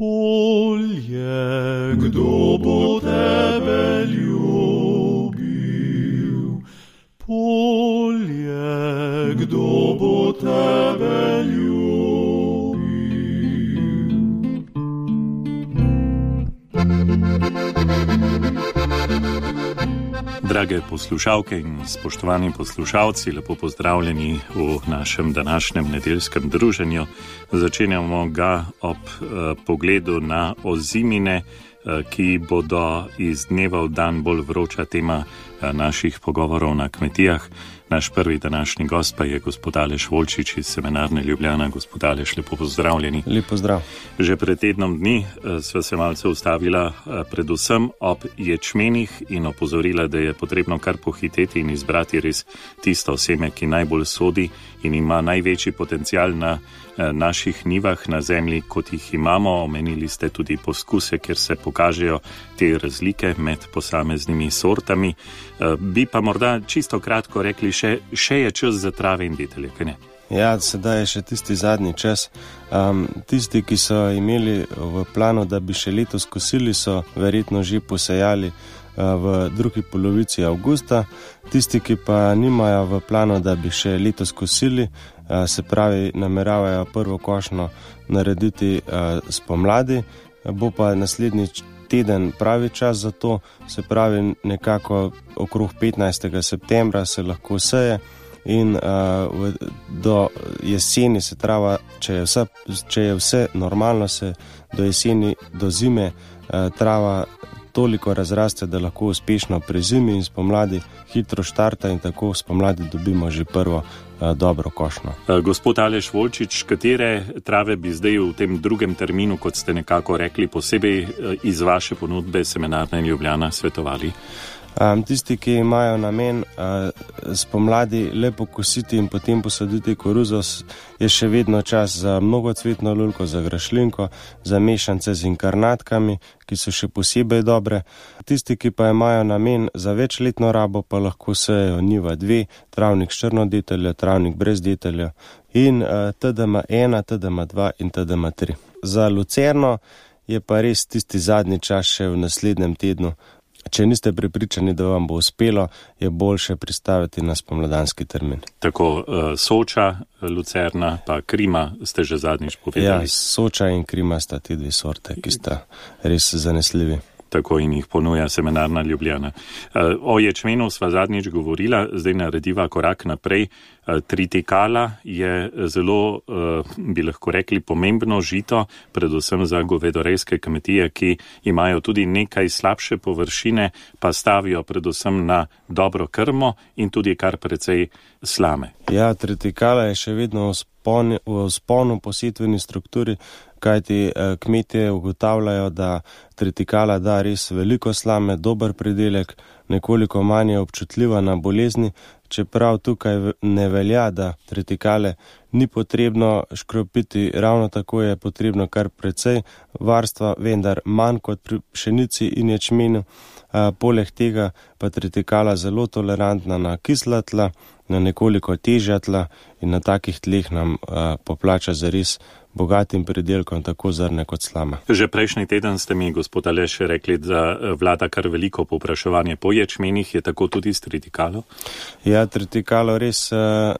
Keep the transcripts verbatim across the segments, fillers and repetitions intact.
Polje, kdo bo tebe ljubil? Polje, kdo bo tebe ljubil? Drage poslušalke in spoštovani poslušalci, lepo pozdravljeni v našem današnjem nedeljskem druženju. Začenjamo ga ob eh, pogledu na ozimine, eh, ki bodo iz dneva v dan bolj vroča tema eh, naših pogovorov na kmetijah. Naš prvi današnji gost pa je gospod Aleš Volčič iz Semenarne Ljubljana. Gospod Aleš, lepo pozdravljeni. Lep pozdrav. Že pred tednom dni sva se malce ustavila predvsem ob ječmenih in opozorila, da je potrebno kar pohiteti in izbrati res tisto seme, ki najbolj sodi in ima največji potencial na naših nivah na zemlji, kot jih imamo. Omenili ste tudi poskuse, kjer se pokažejo te razlike med posameznimi sortami. Bi pa morda čisto kratko rekli, še, še je čas za trave in detelje, kaj ne? Ja, sedaj je še tisti zadnji čas. Um, tisti, ki so imeli v planu, da bi še letos kosili, so verjetno že posejali uh, v drugi polovici avgusta. Tisti, ki pa nimajo v planu, da bi še letos kosili, uh, se pravi, nameravajo prvo košnjo narediti uh, spomladi, bo pa naslednji teden pravi čas za to, se pravi nekako okrog petnajstega septembra se lahko seje in uh, do jeseni se trava, če je vse, če je vse normalno, se do jeseni, do zime uh, trava toliko razraste, da lahko uspešno prezimi in spomladi hitro štarta in tako spomladi dobimo že prvo uh, dobro košnjo. Gospod Aleš Volčič, katere trave bi zdaj v tem drugem terminu, kot ste nekako rekli, posebej iz vaše ponudbe Semenarne Ljubljana svetovali? Um, tisti, ki imajo namen uh, spomladi lepo kositi in potem posaditi koruzo, je še vedno čas za mnogocvetno lulko, za grašlinko, za mešance z inkarnatkami, ki so še posebej dobre. Tisti, ki pa imajo namen za večletno rabo, pa lahko sejejo njiva dve, travnik s črno deteljo, travnik brez detelja in uh, T D M ena, T D M dva in T D M tri. Za lucerno je pa res tisti zadnji čas še v naslednjem tednu. Če niste prepričani, da vam bo uspelo, je boljše pristaviti na spomladanski termin. Tako uh, Soča, Lucerna pa Krima ste že zadnjič povedali. Ja, Soča in Krima sta ti dve sorte, ki sta res zanesljivi. Tako in jih ponuja Semenarna Ljubljana. O ječmenu sva zadnjič govorila, zdaj narediva korak naprej. Tritikala je zelo, bi lahko rekli, pomembno žito, predvsem za govedorejske kmetije, ki imajo tudi nekaj slabše površine, pa stavijo predvsem na dobro krmo in tudi kar precej slame. Ja, tritikala je še vedno v sponu, v sponu po setveni strukturi, kajti kmetje ugotavljajo, da tritikala da res veliko slame, dober pridelek, nekoliko manj je občutljiva na bolezni, čeprav tukaj ne velja, da tritikale ni potrebno škropiti, ravno tako je potrebno kar precej varstva, vendar manj kot pri pšenici in ječmenu. Poleg tega pa tritikala zelo tolerantna na kisla tla, na nekoliko težja tla in na takih tleh nam a, poplača zares bogatim pridelkom, tako zrne kot slama. Že prejšnji teden ste mi, gospod Aleš, rekli, da vlada kar veliko povpraševanje po ječmenih, je tako tudi s tritikalo? Ja, tritikalo res,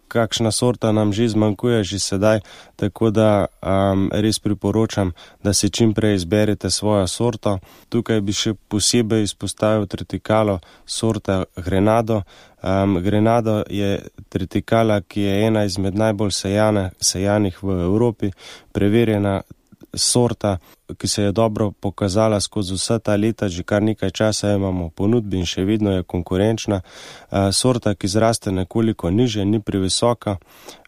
kakšna sorta nam že zmanjkuje že sedaj, tako da um, res priporočam, da si čim prej izberete svojo sorto. Tukaj bi še posebej izpostavil tritikalo sorta Grenado. Um, Grenado je tritikala, ki je ena izmed najbolj sejane, sejanih v Evropi, preverjena sorta, ki se je dobro pokazala skozi vsa ta leta, že kar nekaj časa imamo v ponudbi in še vedno je konkurenčna. Uh, sorta, ki zraste nekoliko niže, ni previsoka,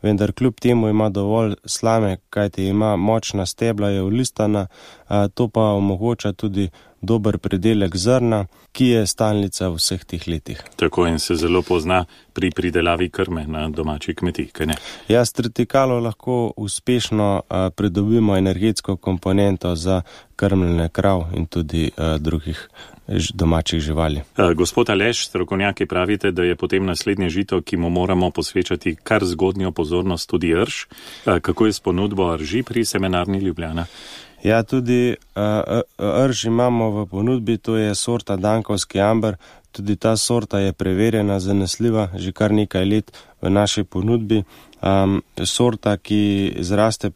vendar kljub temu ima dovolj slame, kajti ima močna stebla, je olistana, uh, to pa omogoča tudi dober pridelek zrna, ki je stalnica v vseh teh letih. Tako in se zelo pozna pri pridelavi krme na domači kmetiji, kaj ne? Ja, s tritikalo lahko uspešno a, pridobimo energetsko komponento za krmljenje krav in tudi a, drugih domačih živali. Gospod Aleš, strokovnjaki pravite, da je potem naslednje žito, ki mu moramo posvečati kar zgodnjo pozornost, tudi rž. Kako je s ponudbo rži pri Semenarni Ljubljana? Ja, tudi uh, rž imamo v ponudbi, to je sorta Dankovski amber. Tudi ta sorta je preverjena, zanesljiva, že kar nekaj let v naši ponudbi. Um, sorta, ki zraste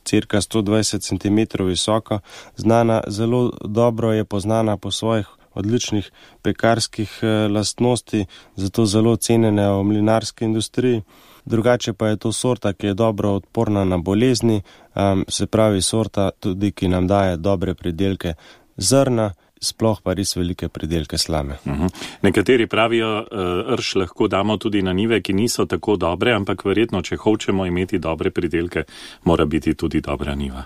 cirka sto dvajset centimetrov visoko, znana, zelo dobro je poznana po svojih odličnih pekarskih eh, lastnosti, zato zelo cenjena v mlinarski industriji. Drugače pa je to sorta, ki je dobro odporna na bolezni, um, se pravi sorta tudi, ki nam daje dobre pridelke zrna, sploh pa res velike pridelke slame. Uhum. Nekateri pravijo, uh, rž lahko damo tudi na njive, ki niso tako dobre, ampak verjetno, če hočemo imeti dobre pridelke, mora biti tudi dobra njiva.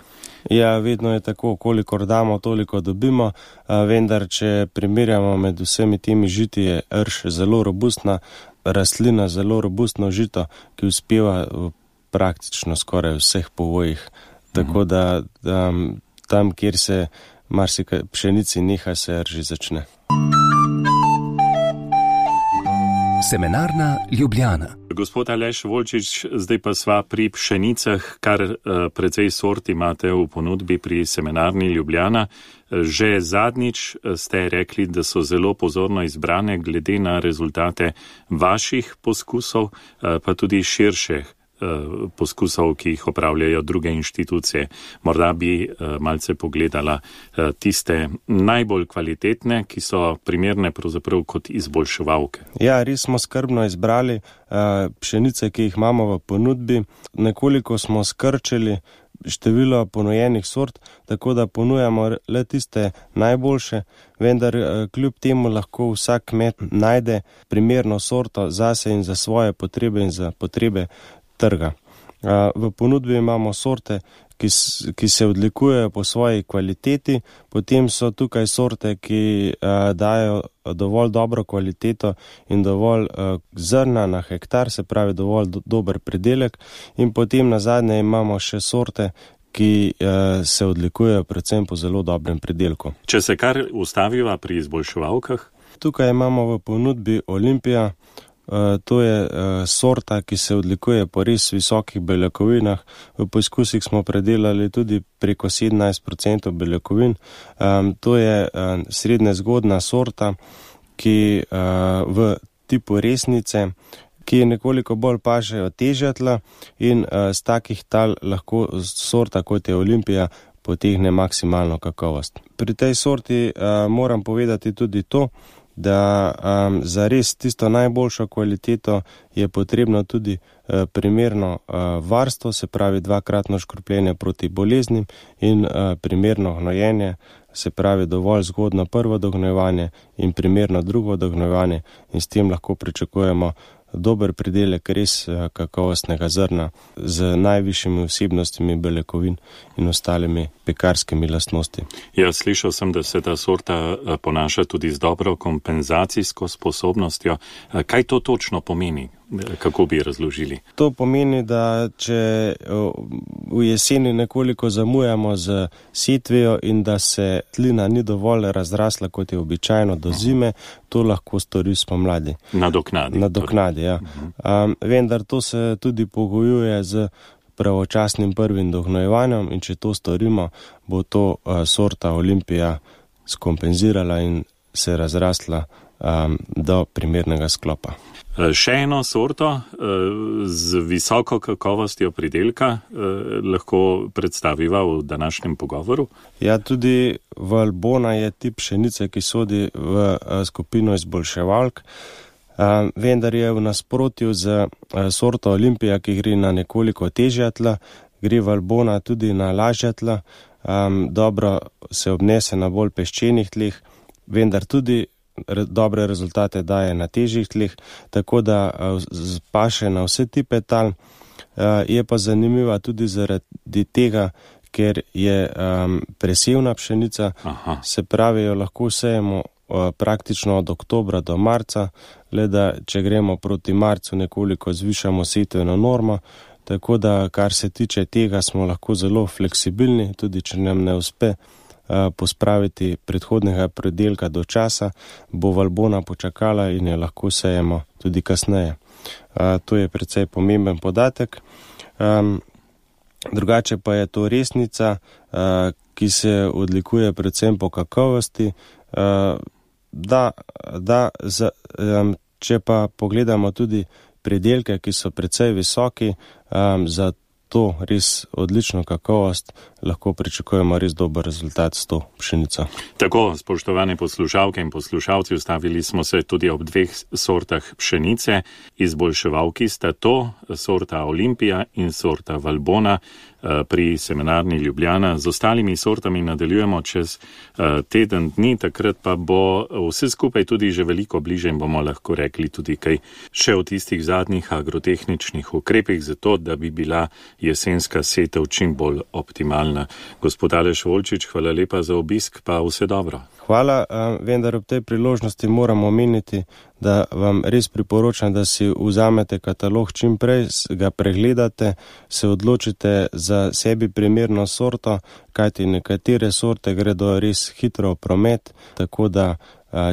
Ja, vedno je tako, kolikor damo, toliko dobimo, a, vendar, če primerjamo med vsemi temi žiti, je rž zelo robustna rastlina, zelo robustno žito, ki uspeva v praktično skoraj vseh povojih. Tako da, da tam, kjer se marsikaj pšenici neha, se rži začne. Semenarna Ljubljana. Gospod Aleš Volčič, zdaj pa sva pri pšenicah, kar uh, precej sort imate v ponudbi pri Semenarni Ljubljana. Že zadnjič ste rekli, da so zelo pozorno izbrane glede na rezultate vaših poskusov, uh, pa tudi širših uh, poskusov, ki jih opravljajo druge inštitucije. Morda bi uh, malce pogledala uh, tiste najbolj kvalitetne, ki so primerne pravzaprav kot izboljševalke. Ja, res smo skrbno izbrali uh, pšenice, ki jih imamo v ponudbi. Nekoliko smo skrčili število ponujenih sort, tako da ponujamo le tiste najboljše, vendar kljub temu lahko vsak kmet najde primerno sorto zase in za svoje potrebe in za potrebe trga. V ponudbi imamo sorte, ki, ki se odlikujejo po svoji kvaliteti, potem so tukaj sorte, ki a, dajo dovolj dobro kvaliteto in dovolj a, zrna na hektar, se pravi dovolj do, dober pridelek, in potem na zadnje imamo še sorte, ki a, se odlikujejo predvsem po zelo dobrem pridelku. Če se kar ustaviva pri izboljševalkah? Tukaj imamo v ponudbi Olimpija. Uh, to je uh, sorta, ki se odlikuje po res visokih beljakovinah. V poizkusih smo predelali tudi preko sedemnajst procentov beljakovin. Um, to je uh, srednje zgodna sorta, ki uh, v tipu resnice, ki nekoliko bolj paše od težja tla in uh, z takih tal lahko sorta, kot je Olimpija, potegne maksimalno kakovost. Pri tej sorti uh, moram povedati tudi to, da um, za res tisto najboljšo kvaliteto je potrebno tudi uh, primerno uh, varstvo, se pravi dvakratno škropljenje proti boleznim in uh, primerno hnojenje, se pravi dovolj zgodno prvo dognojevanje in primerno drugo dognojevanje, in s tem lahko pričakujemo dober pridelek res kakovostnega zrna z najvišjimi vsebnostmi beljakovin in ostalimi pekarskimi lastnosti. Ja, slišal sem, da se ta sorta ponaša tudi z dobro kompenzacijsko sposobnostjo. Kaj to točno pomeni? Kako bi razložili? To pomeni, da če v jeseni nekoliko zamujamo z setvijo in da se tlina ni dovolj razrasla, kot je običajno do zime, to lahko stori spomladi. Nadoknadi. Nadoknadi, ja. Um, vendar to se tudi pogojuje z pravočasnim prvim dohnojevanjem in če to storimo, bo to uh, sorta Olimpija skompenzirala in se razrasla um, do primernega sklopa. Še eno sorto z visoko kakovostjo pridelka lahko predstaviva v današnjem pogovoru? Ja, tudi Valbona je tip pšenice, ki sodi v skupino izboljševalk, vendar je v nasprotju z sorto Olimpija, ki gre na nekoliko težja tla, gre Valbona tudi na lažja tla, dobro se obnese na bolj peščenih tleh, vendar tudi dobre rezultate daje na težjih tleh, tako da paše na vse tipe tal. Je pa zanimiva tudi zaradi tega, ker je um, presevna pšenica. Aha. Se pravi, jo lahko sejemo uh, praktično od oktobra do marca, le da če gremo proti marcu, nekoliko zvišamo setveno normo, tako da kar se tiče tega, smo lahko zelo fleksibilni, tudi če nam ne uspe pospraviti predhodnega predelka do časa, bo Valbona počakala in jo lahko sejemo tudi kasneje. To je precej pomemben podatek. drugače pa je to resnica, ki se odlikuje predvsem po kakovosti. Da, da, če pa pogledamo tudi pridelke, ki so precej visoki, za to res odlično kakovost, lahko pričakujemo res dober rezultat s to pšenico. Tako, spoštovane poslušalke in poslušalci, ustavili smo se tudi ob dveh sortah pšenice. Izboljševalki sta to, sorta Olimpija in sorta Valbona pri semenarni Ljubljana. Z ostalimi sortami nadaljujemo čez teden dni, takrat pa bo vse skupaj tudi že veliko bliže in bomo lahko rekli tudi kaj še o tistih zadnjih agrotehničnih ukrepih, zato da bi bila jesenska setev čim bolj optimalna. Gospod Aleš Volčič, hvala lepa za obisk, pa vse dobro. Hvala, vendar ob tej priložnosti moramo omeniti, da vam res priporočam, da si vzamete katalog čim prej, ga pregledate, se odločite za sebi primerno sorto, kajti nekatere sorte gredo res hitro v promet, tako da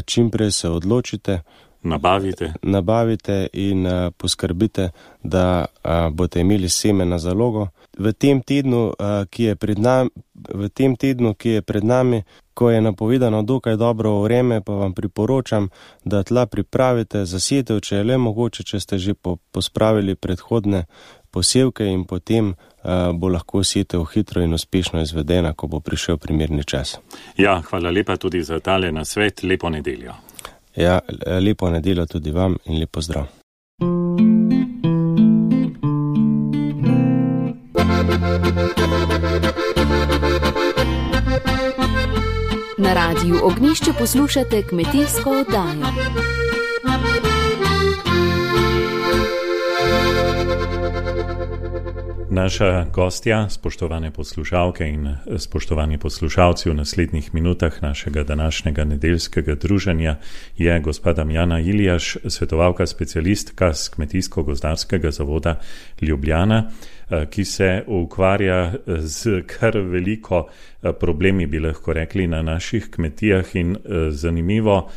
čim prej se odločite. Nabavite. Nabavite in uh, poskrbite, da uh, boste imeli seme na zalogo. V tem tednu, uh, ki je pred nami, v tem tednu, ki je pred nami, ko je napovedano dokaj dobro vreme, pa vam priporočam, da tla pripravite za setev, če je le mogoče, če ste že po, pospravili predhodne posevke in potem uh, bo lahko setev hitro in uspešno izvedena, ko bo prišel primerni čas. Ja, hvala lepa tudi za tale nasvet, lepo nedeljo. Ja, lepo nedeljo tudi vam in lep pozdrav. Na Radiu Ognjišče poslušate kmetijsko oddajo. Naša gostja, spoštovane poslušalke in spoštovani poslušalci, v naslednjih minutah našega današnjega nedeljskega druženja je gospa Damjana Iljaš, svetovalka specialistka z Kmetijsko-gozdarskega zavoda Ljubljana, ki se ukvarja z kar veliko problemi, bi lahko rekli, na naših kmetijah in zanimivo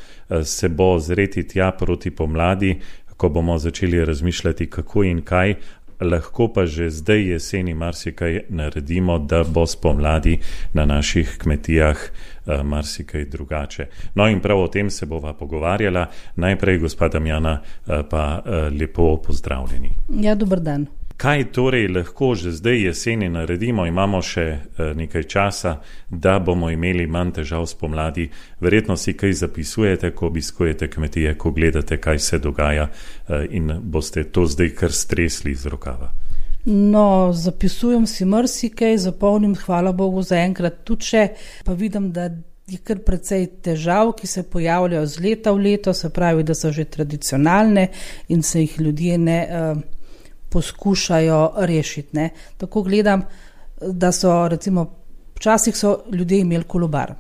se bo zreti tja proti pomladi, ko bomo začeli razmišljati, kako in kaj, lahko pa že zdaj jeseni marsikaj naredimo, da bo spomladi na naših kmetijah uh, marsikaj drugače. No in prav o tem se bova pogovarjala. Najprej, gospa Damjana, uh, pa uh, lepo pozdravljeni. Ja, dober dan. Kaj torej lahko že zdaj jeseni naredimo? Imamo še uh, nekaj časa, da bomo imeli manj težav spomladi. Verjetno si kaj zapisujete, ko obiskujete kmetije, ko gledate, kaj se dogaja uh, in boste to zdaj kar stresli iz rokava. No, zapisujem si marsikaj, zapolnim, hvala Bogu za enkrat tudi še, pa vidim, da je kar precej težav, ki se pojavljajo z leta v leto, se pravi, da so že tradicionalne in se jih ljudje ne uh, poskušajo rešiti. Ne. Tako gledam, da so recimo, včasih so ljudje imeli kolobar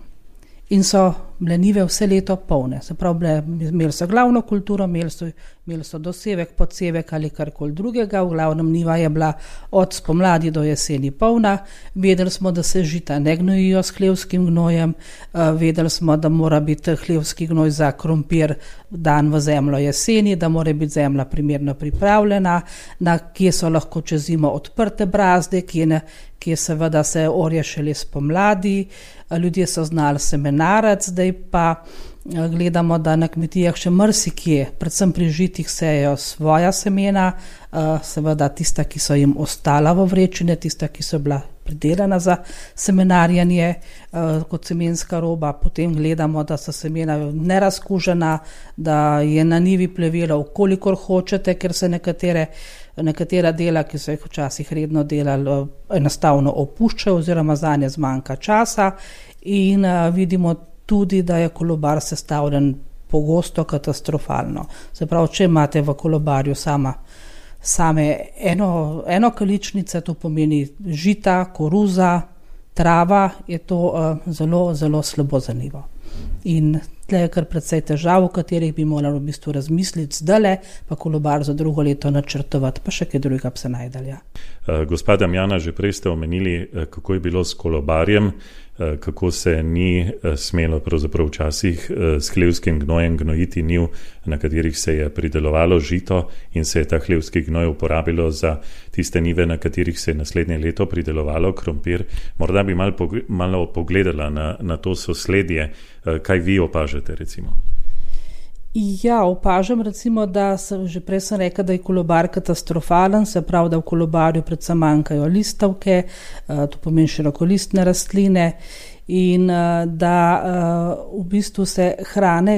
in so bile njive vse leto polne. Se pravi, imeli so glavno kulturo, imeli so, imeli so dosevek, podsevek ali karkoli drugega, v glavnem njiva je bila od spomladi do jeseni polna. Vedeli smo, da se žita ne gnojijo s hlevskim gnojem, vedeli smo, da mora biti hlevski gnoj za krompir dan v zemljo jeseni, da mora biti zemlja primerno pripravljena, na kje so lahko čez zimo odprte brazde, kje, ne, kje seveda se orje šele spomladi. Ljudje so znali semenarec, zdaj pa gledamo, da na kmetijah še marsikje, predvsem pri žitih, sejejo svoja semena, seveda tista, ki so jim ostala v vrečine, tista, ki so bila pridelana za semenarjanje kot semenska roba. Potem gledamo, da so semena nerazkužena, da je na njivi plevelo, kolikor hočete, ker se nekatere, nekatera dela, ki so jih včasih redno delali, enostavno opuščajo oziroma zanje zmanjka časa in vidimo tudi, da je kolobar sestavljen pogosto katastrofalno. Se pravi, če imate v kolobarju sama, same eno, eno količnice, to pomeni žita, koruza, trava, je to uh, zelo, zelo slabo za njivo. In tle je kar precej težav, v katerih bi morali v bistvu razmisliti zdale, pa kolobar za drugo leto načrtovati, pa še kaj drugega bi se najdalja. Gospa Damjana, že prej ste omenili, kako je bilo s kolobarjem. kako se ni smelo pravzaprav včasih s hlevskim gnojem gnojiti njiv, na katerih se je pridelovalo žito in se je ta hlevski gnoj uporabilo za tiste njive, na katerih se je naslednje leto pridelovalo krompir. Morda bi malo, malo pogledala na, na to sosledje, kaj vi opažate recimo. Ja, opažam recimo, da sem, že prej sem rekla, da je kolobar katastrofalen, se pravi, da v kolobarju predvsem manjkajo listavke, to pomeni širokolistne rastline in da v bistvu se hrane,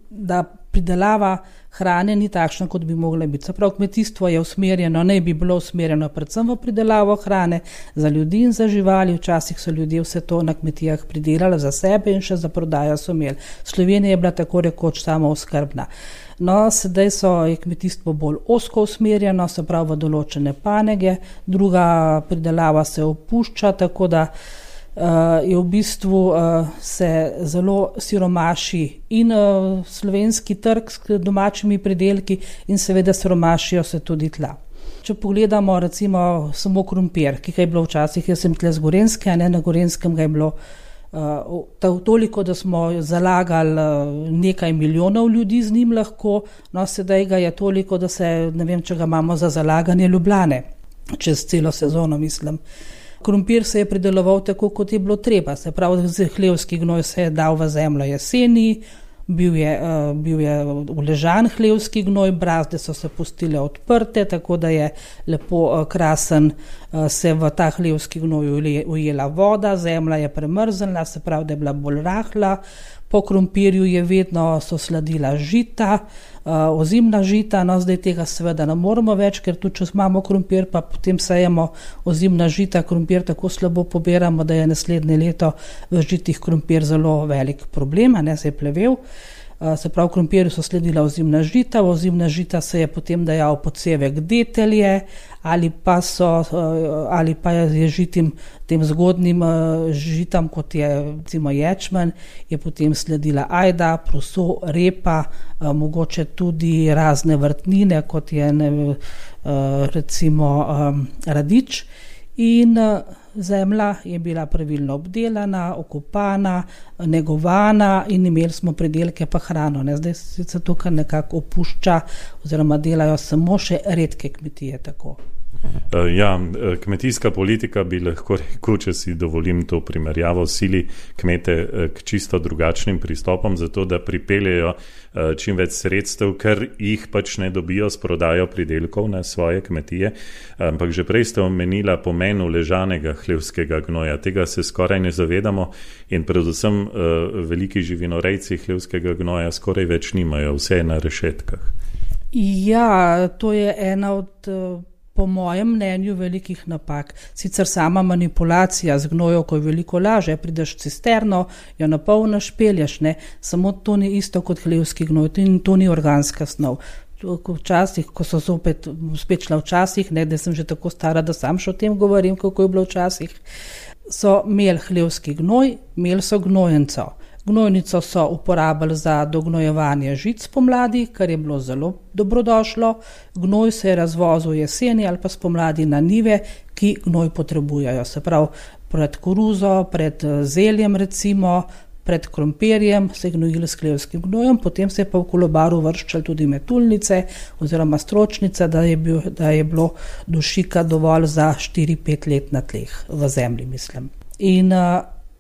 da pridelava hrane ni takšna, kot bi mogla biti. Se pravi, kmetijstvo je usmerjeno, ne bi bilo usmerjeno predvsem v pridelavo hrane za ljudi in za živali. Včasih so ljudje vse to na kmetijah pridelali za sebe in še za prodajo so imeli. Slovenija je bila tako rekoč samooskrbna. No, sedaj so, je kmetijstvo bolj ozko usmerjeno, se pravi v določene panoge, druga pridelava se opušča, tako da Uh, je v bistvu uh, se zelo siromaši in uh, slovenski trg s domačimi pridelki in seveda siromašijo se tudi tla. Če pogledamo recimo samo krompir, ki ga je bilo včasih, jaz sem tle z Gorenjske, a ne na Gorenskem ga je bilo uh, toliko, da smo zalagali uh, nekaj milijonov ljudi z njim lahko, no sedaj ga je toliko, da se, ne vem, če ga imamo za zalaganje Ljubljane, čez celo sezono mislim. Krompir se je prideloval tako, kot je bilo treba, se pravi, hlevski gnoj se je dal v zemljo jeseni, bil je, uh, bil je uležan hlevski gnoj, brazde so se pustile odprte, tako da je lepo uh, krasen uh, se v ta hlevski gnoj ujela voda, zemlja je premrznila, se pravi, da je bila bolj rahla. Po krompirju je vedno so sladila žita, uh, ozimna žita, no zdaj tega seveda ne moremo več, ker tudi če imamo krompir, pa potem sajemo ozimna žita, krompir tako slabo pobiramo, da je naslednje leto v žitih krompir zelo velik problem, a ne se je plevel. Uh, se pravi, v krompirju so sledila ozimna žita, v ozimna žita se je potem dajal podsevek detelje ali pa, so, uh, ali pa je žitim tem zgodnim uh, žitam, kot je recimo ječmen, je potem sledila ajda, proso, repa, uh, mogoče tudi razne vrtnine, kot je ne, uh, recimo um, radič in uh, zemlja je bila pravilno obdelana, okopana, negovana in imeli smo pridelke pa hrano. Ne? Zdaj se tukaj nekako opušča oziroma delajo samo še redke kmetije tako. Ja, kmetijska politika bi lahko rekel, če si dovolim to primerjavo, sili kmete k čisto drugačnim pristopom, zato da pripeljejo čim več sredstev, ker jih pač ne dobijo s prodajo pridelkov na svoje kmetije. Ampak že prej ste omenila pomen uležanega hlevskega gnoja. Tega se skoraj ne zavedamo in predvsem veliki živinorejci hlevskega gnoja skoraj več nimajo, vse je na rešetkah. Ja, to je ena od po mojem mnenju velikih napak. Sicer sama manipulacija z gnojevko je veliko laže, prideš cisterno, jo napolniš, pelješ, ne, samo to ni isto kot hlevski gnoj, to ni organska snov. Včasih, ko so zopet, spet šla včasih, ne, da sem že tako stara, da sam še o tem govorim, kako je bilo včasih, so imeli hlevski gnoj, imeli so gnojenco. Gnojnico so uporabili za dognojevanje žic pomladi, kar je bilo zelo dobrodošlo. Gnoj se je razvozil jeseni ali pa spomladi na njive, ki gnoj potrebujejo. Se pravi, pred koruzo, pred zeljem recimo, pred krompirjem se je gnojilo s hlevskim gnojem, potem se je pa v kolobaru vrščali tudi metulnice oziroma stročnice, da je, bil, da je bilo dušika dovolj za štiri pet let na tleh v zemlji, mislim. In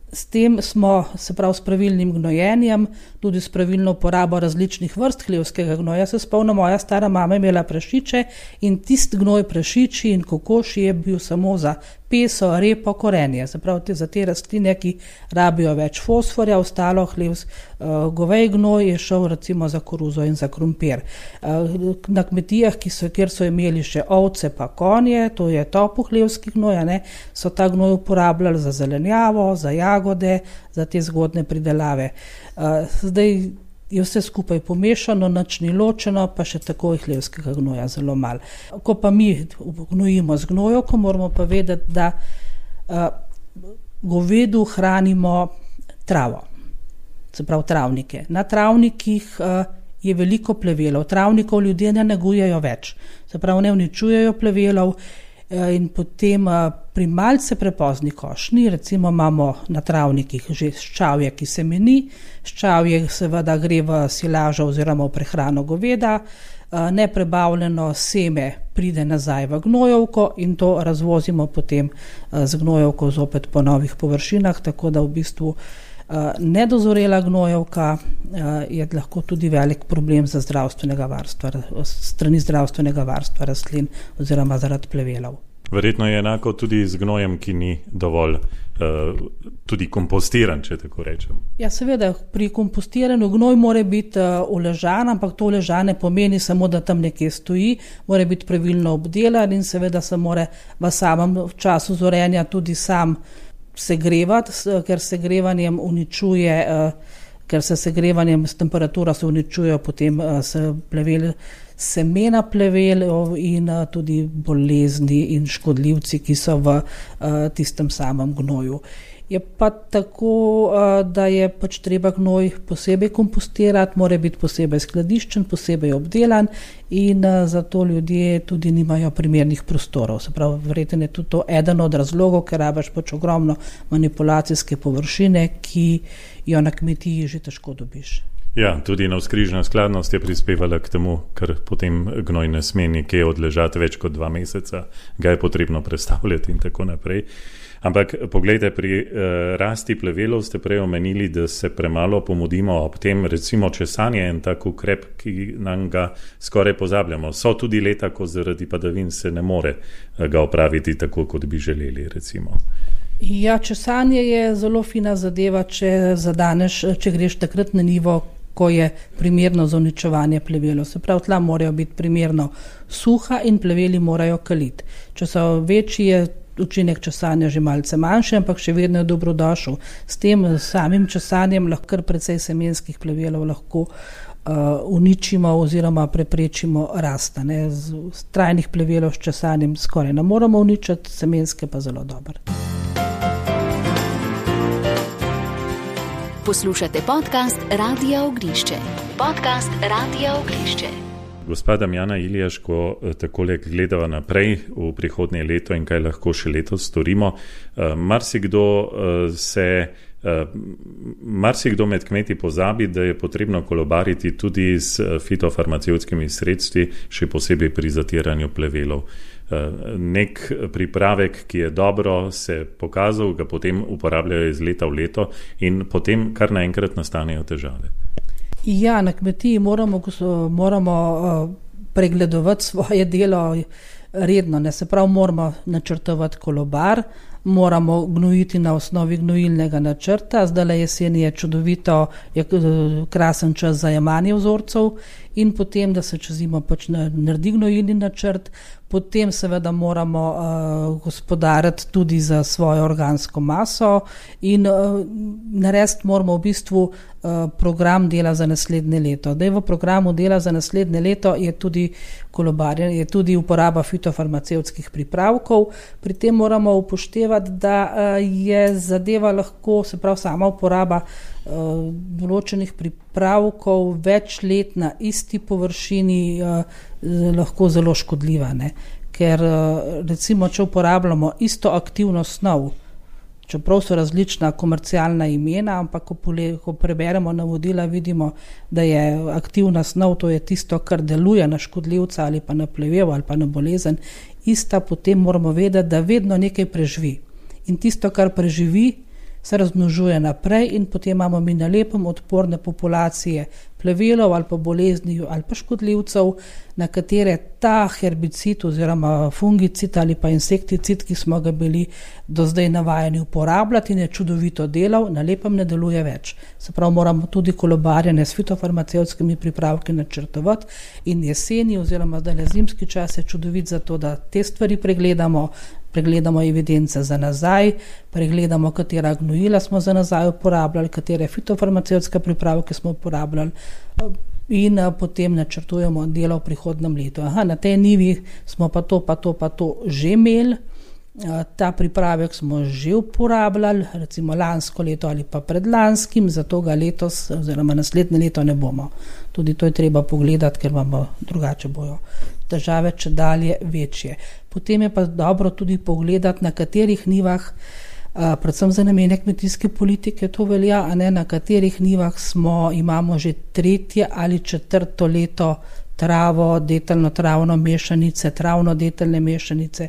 s tem smo, se pravi s pravilnim gnojenjem, tudi s pravilno uporabo različnih vrst hlevskega gnoja, se spomnim, moja stara mama je imela prašiče in tist gnoj prašiči in kokoši je bil samo za peso, repo, korenje. Se pravi, te, za te rastline, ki rabijo več fosforja, ostalo hlevs, uh, govej gnoj je šel recimo za koruzo in za krompir. Uh, na kmetijah, ki so, kjer so imeli še ovce pa konje, to je topu hlevski gnoj, ne, so ta gnoj uporabljali za zelenjavo, za jagode, za te zgodne pridelave. Uh, zdaj je vse skupaj pomešano, nič ni ločeno, pa še tako je hlevskega gnoja zelo malo. Ko pa mi gnojimo z gnojevko, moramo pa vedeti, da uh, govedu hranimo travo, se pravi travnike. Na travnikih uh, je veliko plevelov, travnikov ljudje ne negujejo več, se pravi ne uničujejo plevelov in potem pri malce prepozni košnji, recimo imamo na travnikih že ščavje, ki se meni, ščavje seveda gre v silažo oziroma v prehrano goveda, neprebavljeno seme pride nazaj v gnojevko in to razvozimo potem z gnojevko zopet po novih površinah, tako da v bistvu nedozorela gnojevka je lahko tudi velik problem za zdravstvenega varstva, strani zdravstvenega varstva rastlin oziroma zaradi plevelov. Verjetno je enako tudi z gnojem, ki ni dovolj uh, tudi kompostiran, če tako rečem. Ja, seveda, pri kompostiranju gnoj mora biti uh, uležan, ampak to uležan ne pomeni samo, da tam nekje stoji, mora biti pravilno obdelan in seveda se mora v samem času zorenja tudi sam segrevati, ker segrevanjem uničuje, uh, ker se segrevanjem s temperatura se uničujejo potem uh, se plevel, semena plevel in uh, tudi bolezni in škodljivci, ki so v uh, tistem samem gnoju. Je pa tako, uh, da je pač treba gnoj posebej kompostirati, mora biti posebej skladiščen, posebej obdelan in uh, zato ljudje tudi nimajo primernih prostorov. Se pravi, verjetno je tudi to eden od razlogov, ker rabiš pač ogromno manipulacijske površine, ki jo na kmetiji že težko dobiš. Ja, tudi navzkrižna skladnost je prispevala k temu, ker potem gnoj ne sme nekje odležati več kot dva meseca, ga je potrebno prestavljati in tako naprej. Ampak poglejte, pri eh, rasti plevelov ste prej omenili, da se premalo pomudimo ob tem, recimo česanje en tak ukrep, ki nam ga skoraj pozabljamo. So tudi leta, ko zaradi padavin se ne more ga opraviti tako, kot bi želeli, recimo. Ja, česanje je zelo fina zadeva, če zadaneš, če greš takrat na nivo, ko je primerno za uničevanje plevelov. Se pravi, tla morajo biti primerno suha in pleveli morajo kaliti. Če so večji, je učinek česanja že malce manjši, ampak še vedno je dobrodošel. S tem samim česanjem lahko kar precej semenskih plevelov lahko uh, uničimo oziroma preprečimo rasta. Ne. Z, z trajnih plevelov s česanjem skoraj ne moramo uničiti, semenske pa zelo dobro. Poslušate podcast Radia Ognjišče. Podcast Radia Ognjišče. Gospa Damjana Iljaš, ko takole gledava naprej v prihodnje leto in kaj lahko še letos storimo, marsikdo se, marsikdo med kmeti pozabi, da je potrebno kolobariti tudi s fitofarmacevtskimi sredstvi, še posebej pri zatiranju plevelov. Nek pripravek, ki je dobro se pokazal, ga potem uporabljajo iz leta v leto in potem kar naenkrat nastanejo težave. Ja, na kmetiji moramo, moramo pregledovati svoje delo redno, ne se prav moramo načrtovati kolobar, moramo gnojiti na osnovi gnojilnega načrta, zdajle jesen je čudovito, je krasen čas za jemanje vzorcev in potem, da se čez zimo pač naredi gnojilni načrt, potem seveda moramo uh, gospodariti tudi za svojo organsko maso in uh, narediti moramo v bistvu uh, program dela za naslednje leto. Da je v programu dela za naslednje leto je tudi kolobarjenje, je tudi uporaba fitofarmacevtskih pripravkov. Pri tem moramo upoštevati, da uh, je zadeva lahko, se pravi sama uporaba uh, določenih pripravkov več let na isti površini uh, lahko zelo škodljiva, ne? Ker recimo, če uporabljamo isto aktivno snov, čeprav so različna komercialna imena, ampak ko, pole, ko preberemo navodila, vidimo, da je aktivna snov, to je tisto, kar deluje na škodljivca ali pa na plevel ali pa na bolezen, ista, potem moramo vedeti, da vedno nekaj preživi. In tisto, kar preživi, se razmnožuje naprej in potem imamo mi na lepem odporne populacije plevelov ali pa bolezni ali pa škodljivcev, na katere ta herbicid oziroma fungicid ali pa insekticid, ki smo ga bili do zdaj navajeni uporabljati in je čudovito delal, na lepem ne deluje več. Se pravi, moramo tudi kolobarjanje s fitofarmacevtskimi pripravki načrtovati in jeseni oziroma zdaj zimski čas je čudovit za to, da te stvari pregledamo, pregledamo evidence za nazaj, pregledamo, katera gnojila smo za nazaj uporabljali, katere fitofarmacevtske pripravke smo uporabljali in potem načrtujemo delo v prihodnem letu. Aha, na tej nivi smo pa to, pa to, pa to že imeli, ta pripravek smo že uporabljali, recimo lansko leto ali pa predlanskim, zato ga letos oziroma naslednje leto ne bomo. Tudi to je treba pogledati, ker imamo drugače bojo težave če dalje večje. Potem je pa dobro tudi pogledati, na katerih nivah, predvsem za namene kmetijske politike to velja, a ne na katerih nivah smo, imamo že tretje ali četrto leto travo, deteljno travno mešanice, travno deteljne mešanice,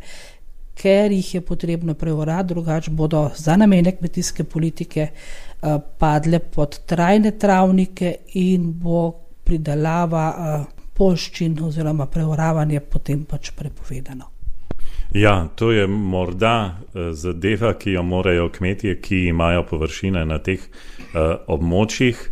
ker jih je potrebno preorati, drugače bodo za namene kmetijske politike padle pod trajne travnike in bo pridelava poljščin oziroma preoravanje potem pač prepovedano. Ja, to je morda zadeva, ki jo morajo kmetje, ki imajo površine na teh uh, območjih,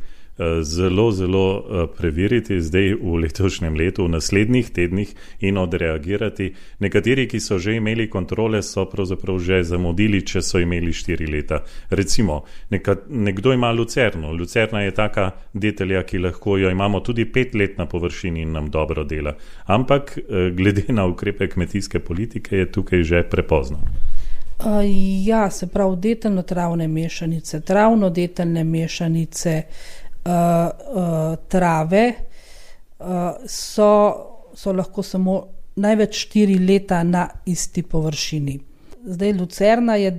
zelo, zelo preveriti zdaj v letošnjem letu, v naslednjih tednih in odreagirati. Nekateri, ki so že imeli kontrole, so pravzaprav že zamudili, če so imeli štiri leta. Recimo, neka, nekdo ima lucerno. Lucerna je taka detelja, ki lahko jo imamo tudi pet let na površini in nam dobro dela. Ampak glede na ukrepe kmetijske politike je tukaj že prepozno. Uh, ja, se pravi, deteljno travne mešanice, travno deteljne mešanice, Uh, uh, trave uh, so, so lahko samo največ štiri leta na isti površini. Zdaj lucerna je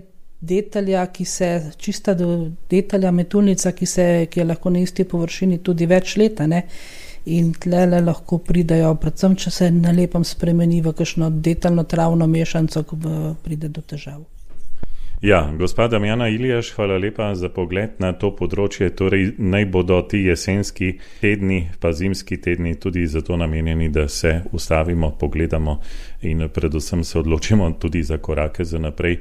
detelja, ki se, čista detelja metulnica, ki, se, ki je lahko na isti površini tudi več leta, ne? In tlele lahko pridajo, predvsem če se na lepem spremeni v kakšno deteljno travno mešanico, ko pride do težav. Ja, gospa Damjana Iljaš, hvala lepa za pogled na to področje. Torej, naj bodo ti jesenski tedni, pa zimski tedni tudi zato namenjeni, da se ustavimo, pogledamo in predvsem se odločimo tudi za korake za naprej.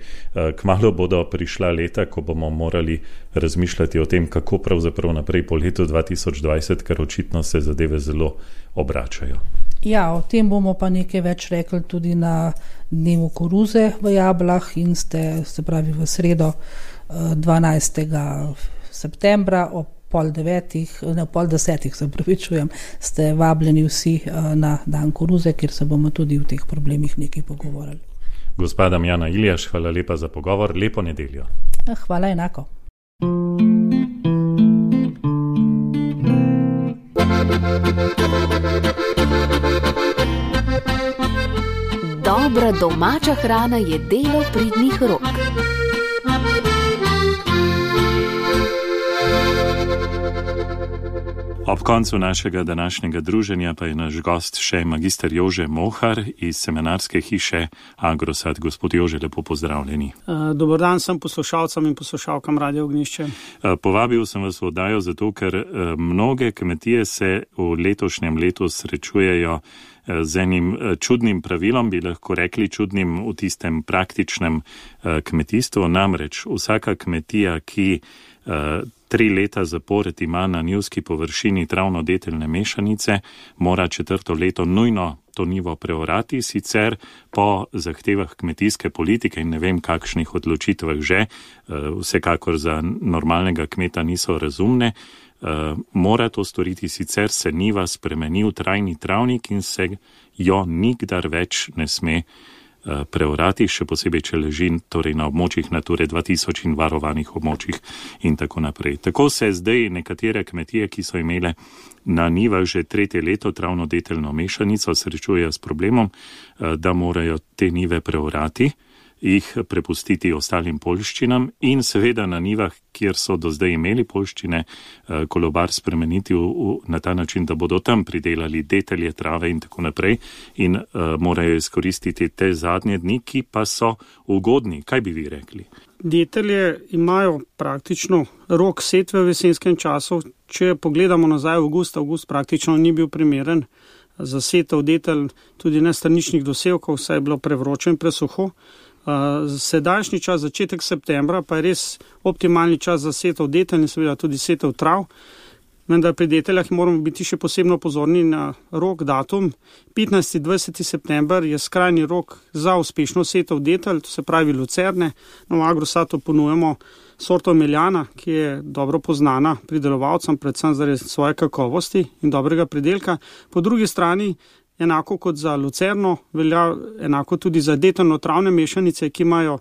Kmalu bodo prišla leta, ko bomo morali razmišljati o tem, kako pravzaprav naprej po letu dva tisoč dvajset, ker očitno se zadeve zelo obračajo. Ja, o tem bomo pa nekaj več rekli tudi na dnevu koruze v Jablah in ste, se pravi v sredo dvanajstega septembra ob pol devetih, ne pol desetih, se pravičujem, ste vabljeni vsi na dan koruze, kjer se bomo tudi v teh problemih nekaj pogovorili. Gospa Damjana Iljaš, hvala lepa za pogovor, lepo nedeljo. Hvala enako. Dobra domača hrana je delo pridnih rok. Ob koncu našega današnjega druženja pa je naš gost še magister Jože Mohar iz seminarske hiše Agrosad. Gospod Jože, lepo pozdravljeni. Dober dan sem poslušalcem in poslušalkam Radio Ognjišče. Povabil sem vas v oddajo zato, ker mnoge kmetije se v letošnjem letu srečujejo z enim čudnim pravilom, bi lahko rekli čudnim v tistem praktičnem kmetijstvu. Namreč vsaka kmetija, ki tri leta zapored ima na njivski površini travno-deteljne mešanice, mora četrto leto nujno to njivo preorati, sicer po zahtevah kmetijske politike in ne vem kakšnih odločitvah že, vsekakor za normalnega kmeta niso razumne, mora to storiti, sicer se njiva spremeni v trajni travnik in se jo nikdar več ne sme preorati, še posebej, če leži torej na območjih Nature dva tisoč in varovanih območjih in tako naprej. Tako se zdaj nekatere kmetije, ki so imele na njivah že tretje leto travno-deteljno mešanico, srečujejo s problemom, da morajo te njive preorati, jih prepustiti ostalim poljščinam in seveda na njivah, kjer so do zdaj imeli poljščine, kolobar spremeniti v, v, na ta način, da bodo tam pridelali detelje, trave in tako naprej in uh, morajo izkoristiti te zadnje dni, ki pa so ugodni. Kaj bi vi rekli? Detelje imajo praktično rok setve v jesenskem času. Če pogledamo nazaj v avgust, avgust praktično ni bil primeren za setev detelj, tudi ne straničnih dosevkov, saj je bilo prevroče in presuho. Sedajšnji čas, začetek septembra, pa je res optimalni čas za setev detelj in seveda tudi setev trav. Vendar pri deteljah moramo biti še posebno pozorni na rok, datum. petnajsti dvajseti september je skrajni rok za uspešno setev detelj, to se pravi lucerne. Na Agrosatu ponujemo sorto Meljana, ki je dobro poznana pridelovalcem, predvsem zaradi svoje kakovosti in dobrega pridelka. Po drugi strani, enako kot za lucerno, velja enako tudi za deteljno travne mešanice, ki imajo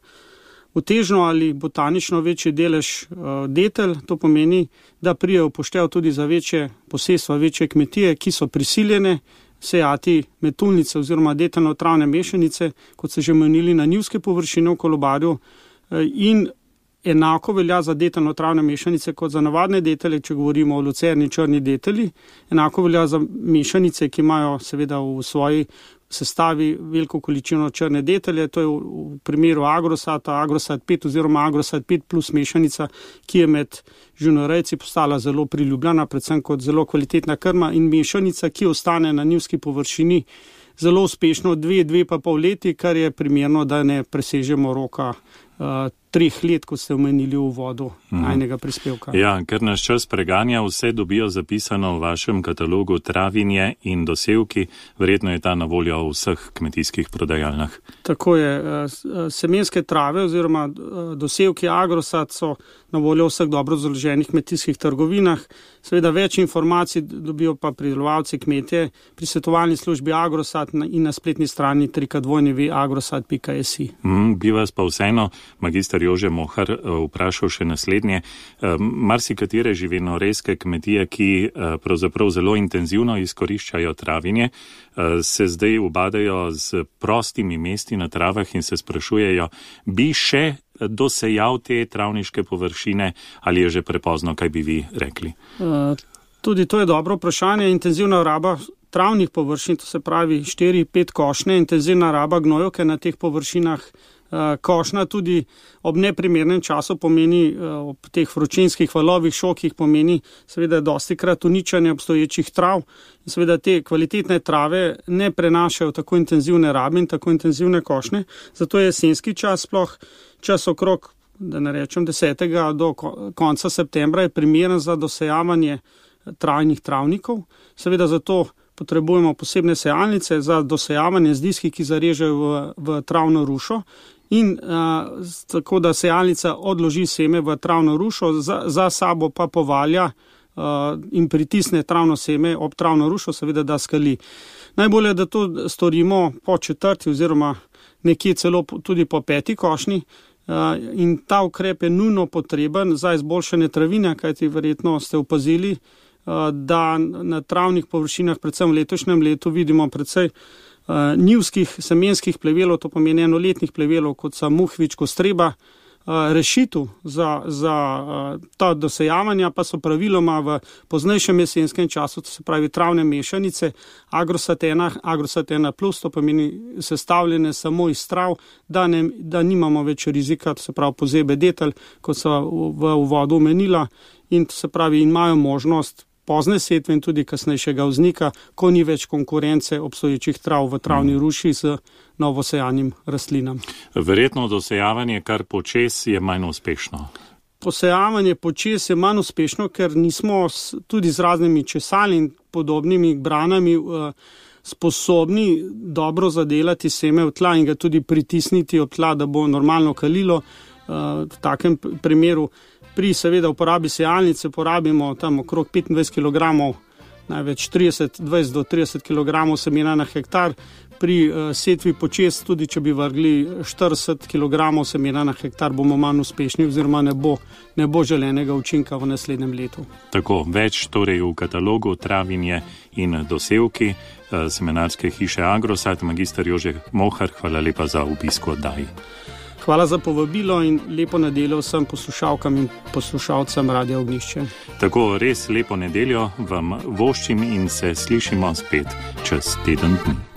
utežno ali botanično večji delež uh, detelj. To pomeni, da prije upoštev tudi za večje posestva, večje kmetije, ki so prisiljene sejati metulnice oziroma detelno-travne mešanice, kot se že omenili, na njivske površine v kolobarju in enako velja za detelno-travne mešanice kot za navadne detelje, če govorimo o lucerni črni deteli. Enako velja za mešanice, ki imajo seveda v svoji sestavi veliko količino črne detelje. To je v, v primeru Agrosata, Agrosat pet oziroma Agrosat pet plus mešanica, ki je med živinorejci postala zelo priljubljena, predvsem kot zelo kvalitetna krma in mešanica, ki ostane na njivski površini zelo uspešno dve, dve pa pol leti, kar je primerno, da ne presežemo roka uh, treh let, kot ste omenili v uvodu najnega prispevka. Ja, ker nas čas preganja, vse dobijo zapisano v vašem katalogu travinje in dosevki, verjetno je ta na voljo v vseh kmetijskih prodajalnah. Tako je, semenske trave oziroma dosevki Agrosat so na voljo v vseh dobro založenih kmetijskih trgovinah. Seveda več informacij dobijo pa pridelovalci kmetje pri svetovalni službi Agrosat in na spletni strani w w w pika agrosat pika es i. Mm, bi vas pa vseeno, magister Jože Mohar, vprašal še naslednje. Marsikatere živinorejske kmetije, ki pravzaprav zelo intenzivno izkoriščajo travinje, se zdaj ubadajo z prostimi mesti na travah in se sprašujejo, bi še dosejal te travniške površine ali je že prepozno, kaj bi vi rekli? Tudi to je dobro vprašanje. Intenzivna raba travnih površin, to se pravi štiri pet košnje, intenzivna raba gnojevke na teh površinah. Košnja tudi ob neprimernem času pomeni, ob teh vročinskih valovih šokih pomeni seveda dosti krat uničanje obstoječih trav in seveda te kvalitetne trave ne prenašajo tako intenzivne rabe in tako intenzivne košnje. Zato je jesenski čas, sploh čas okrog, da ne rečem desetega do konca septembra je primeren za dosejavanje trajnih travnikov. Seveda zato potrebujemo posebne sejalnice za dosejavanje z diski, ki zarežejo v, v travno rušo. In a, tako, da sejalnica odloži seme v travno rušo, za, za sabo pa povalja a, in pritisne travno seme ob travno rušo, seveda da skali. Najbolje je, da to storimo po četrti oziroma nekje celo tudi po peti košnji. A, in ta ukrep je nujno potreben za izboljšanje travine, kajti verjetno ste opazili, a, da na travnih površinah, predvsem v letošnjem letu, vidimo precej Uh, njivskih semenskih plevelov, to pomeni enoletnih plevelov, kot so muhvič, kostreba. Uh, rešitev za, za uh, ta dosejavanja pa so praviloma v poznejšem jesenskem času, to se pravi travne mešanice, Agrosat ena, Agrosat ena plus, to pomeni sestavljene samo iz trav, da, ne, da nimamo več rizika, to se pravi pozebe detelj, kot so v, v uvodu omenila, in to se pravi imajo možnost pozne setve in tudi kasnejšega vznika, ko ni več konkurence obstoječih trav v travni ruši z novosejanim rastlinam. Verjetno dosejavanje kar počes je manj uspešno. Posejavanje počes je manj uspešno, ker nismo tudi z raznimi česali in podobnimi branami uh, sposobni dobro zadelati seme v tla in ga tudi pritisniti od tla, da bo normalno kalilo. Uh, v takem primeru pri seveda uporabi sejalnice porabimo tam okrog petindvajset kilogramov, največ trideset, dvajset do trideset kilogramov semena na hektar. Pri uh, setvi počes, tudi če bi vrgli štirideset kilogramov semena na hektar, bomo manj uspešni oziroma ne bo, ne bo želenega učinka v naslednjem letu. Tako, več torej v katalogu travinje in dosevki uh, semenarske hiše Agrosat. Magister Jože Mohar, hvala lepa za obisk v oddaji. Hvala za povabilo in lepo nedeljo vsem poslušalkam in poslušalcem Radia Ognjišče. Tako, res lepo nedeljo vam voščim in se slišimo spet čez teden dni.